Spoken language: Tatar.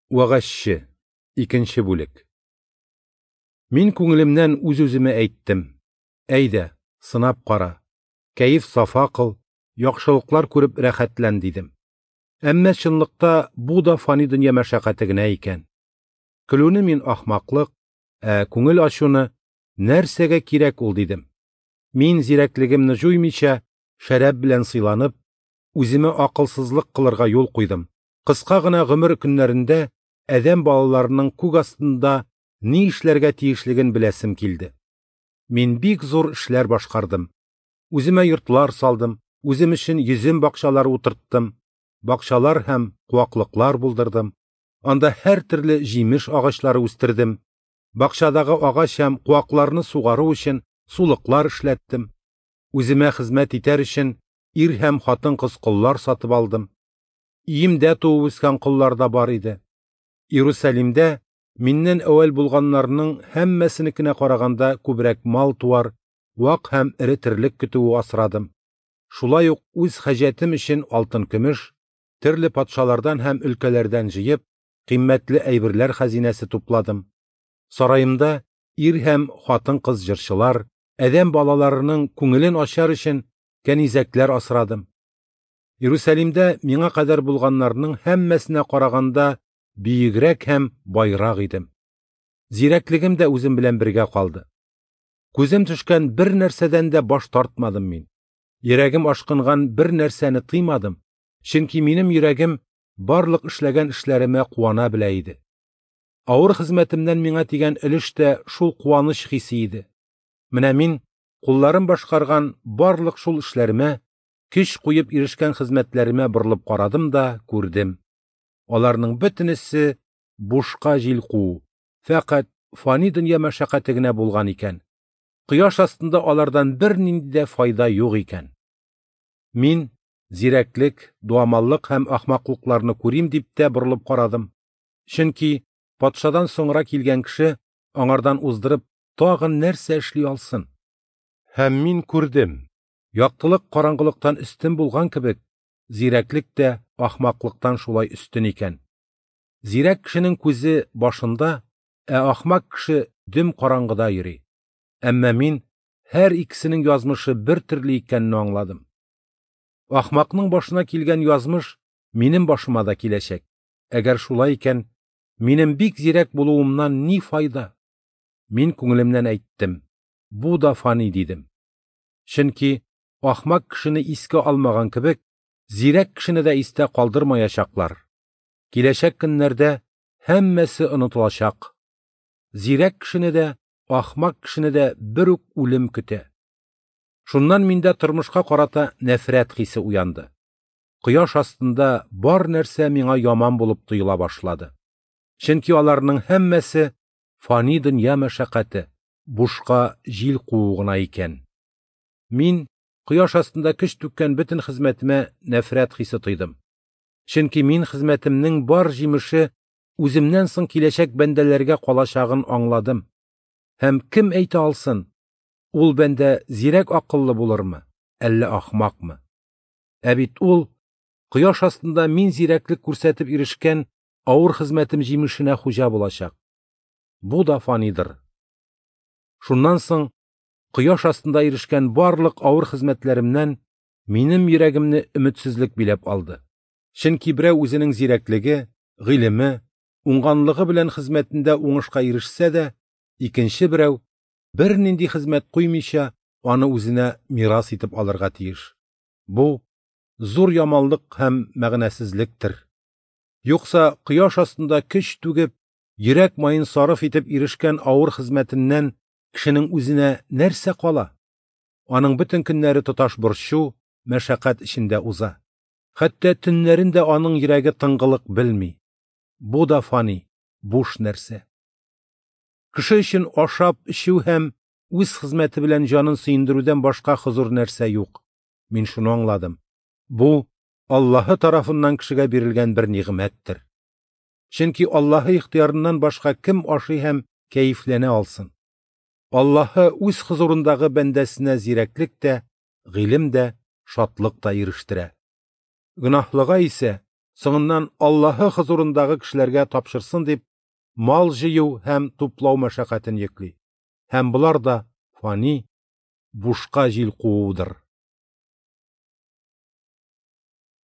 Вәгазьче, икенче бүлек. Мин күңелемнән үз-үземә әйттем: Әйдә, сынап кара, кәеф-сафа кыл, яхшылыклар күреп рәхәтлән, дидем. Әмма чынлыкта бу да фани дөнья мәшәкате генә икән. Көлүне мин ахмаклык, ә күңел ачуны нәрсәгә кирәк ул, дидем. Мин зирәклегемне җуймыйча, шәраб белән сыйланып, үземә акылсызлык кылырга юл куйдым. Кыска гына гомер көннәрендә адәм балаларының күк астында ни эшләргә тиешлеген беләсем килде. Мин бик зур эшләр башкардым. Үземә йортлар салдым, үзем өчен йөзем бакчалары утырттым, бакчалар һәм куаклыклар булдырдым. Анда һәртөрле җимеш агачлары үстердем. Бакчадагы агач һәм куакларны сугару өчен сулыклар эшләттем. Үземә хезмәт итәр өчен ир һәм хатын-кыз коллар сатып алдым. Өемдә туып үскән коллар да бар иде. Иерусалимдә миннән әүвәл булганнарның һәммәсенекенә караганда күбрәк мал-туар, вак һәм эре терлек көтүе асрадым. Шулай ук үз хаҗәтем өчен алтын-көмеш, төрле патшалардан һәм өлкәләрдән җыеп, кыйммәтле әйберләр хәзинәсе тупладым. Сараемда ир һәм хатын-кыз җырчылар, адәм балаларының күңелен ачар өчен кәнизәкләр асрадым. Иерусалимдә миңа кадәр булганнарның һәммәсенә караганда бөегрәк һәм байрак идем. Зирәклегем дә үзем белән бергә калды. Күзем төшкән бер нәрсәдән дә баш тартмадым мин. Йөрәгем ашкынган бер нәрсәне тыймадым, чөнки минем йөрәгем барлык эшләгән эшләремә куана белә иде. Авыр хезмәтемнән миңа тигән өлеш тә шул куаныч хисе иде. Менә мин кулларым башкарган барлык шул эшләремә, көч куеп ирешкән хезмәтләремә борылып карадым да күрдем. Аларның бөтенесе бушка җил куу, фәкать фани дөнья мәшәкате генә булган икән. Кояш астында алардан бернинди дә файда юк икән. Мин зирәклек, дуамаллык һәм ахмаклыкларны күрим дип тә борылып карадым. Чөнки патшадан соңра килгән кеше аңардан уздырып тагын нәрсә эшли алсын? Һәм мин күрдем. Яктылык караңгылыктан өстен булган кебек, зирәклек тә ахмаклыктан шулай өстен икән. Зирәк кешенең күзе башында, ә ахмак кеше дөм караңгыда йөри. Әмма мин һәр икесенең язмышы бер төрле икәнне аңладым. Ахмакның башына килгән язмыш минем башыма да киләчәк. Әгәр шулай икән, минем бик зирәк булуымнан ни файда? Мин күңелемнән әйттем: бу да фани дидем. Чөнки ахмак кешене искә алмаган кебек, зирәк кешене дә истә калдырмаячаклар. Киләчәк көннәрдә һәммәсе онытылачак. Зирәк кешене дә, ахмак кешене дә бер үк үлем көтә. Шуннан миндә тормышка карата нәфрәт хисе уянды. Кояш астында бар нәрсә миңа яман булып тоела башлады. Чөнки аларның һәммәсе фани дөнья мәшәкате, бушка җил куу гына икән. Мин кояш астында көч түккән бөтен хезмәтемә нәфрәт хисе тойдым. Чөнки мин хезмәтемнең бар җимеше үземнән соң киләчәк бәндәләргә калачагын аңладым. Һәм кем әйтә алсын, ул бәндә зирәк акыллы булырмы, әллә ахмакмы? Ә бит ул кояш астында мин зирәклек күрсәтеп ирешкән авыр хезмәтем җимешенә хуҗа булачак. Бу да фанидыр. Шуннан соң кояш астында ирешкән барлык авыр хезмәтләремнән минем йөрәгемне өметсезлек биләп алды. Чөнки берәү үзенең зирәклеге, гыйлеме, уңганлыгы белән хезмәтендә уңышка ирешсә дә, икенче берәү бернинди хезмәт куймыйча аны үзенә мирас итеп алырга тиеш. Бу зур яманлык һәм мәгънәсезлектер. Юкса кояш астында көч түгеп, йөрәк маен сарыф итеп ирешкән авыр хезмәтеннән кешенең үзенә нәрсә кала? Аның бөтен көннәре тоташ борчу, мәшәкать эчендә уза. Хәтта төннәрен дә аның йөрәге тынгылык белми. Бу да фани, буш нәрсә. Кеше өчен ашап, эчү һәм үз хезмәте белән җанын сөендерүдән башка хозур нәрсә юк. Мин шуны аңладым. Бу Аллаһы тарафыннан кешегә бирелгән бер нигъмәттер. Чөнки Аллаһы ихтыярыннан башка кем ашый һәм кәефләнә алсын? Аллаһы үз хозурындагы бәндәсенә зирәклек тә, гыйлем дә, шатлык та ирештерә. Гөнаһлыга исә Соңыннан Аллаһы хозурындагы кешеләргә тапшырсын дип, мал җыю һәм туплау мәшәкатен йөкли. Һәм болар да фани, бушка җил куудыр.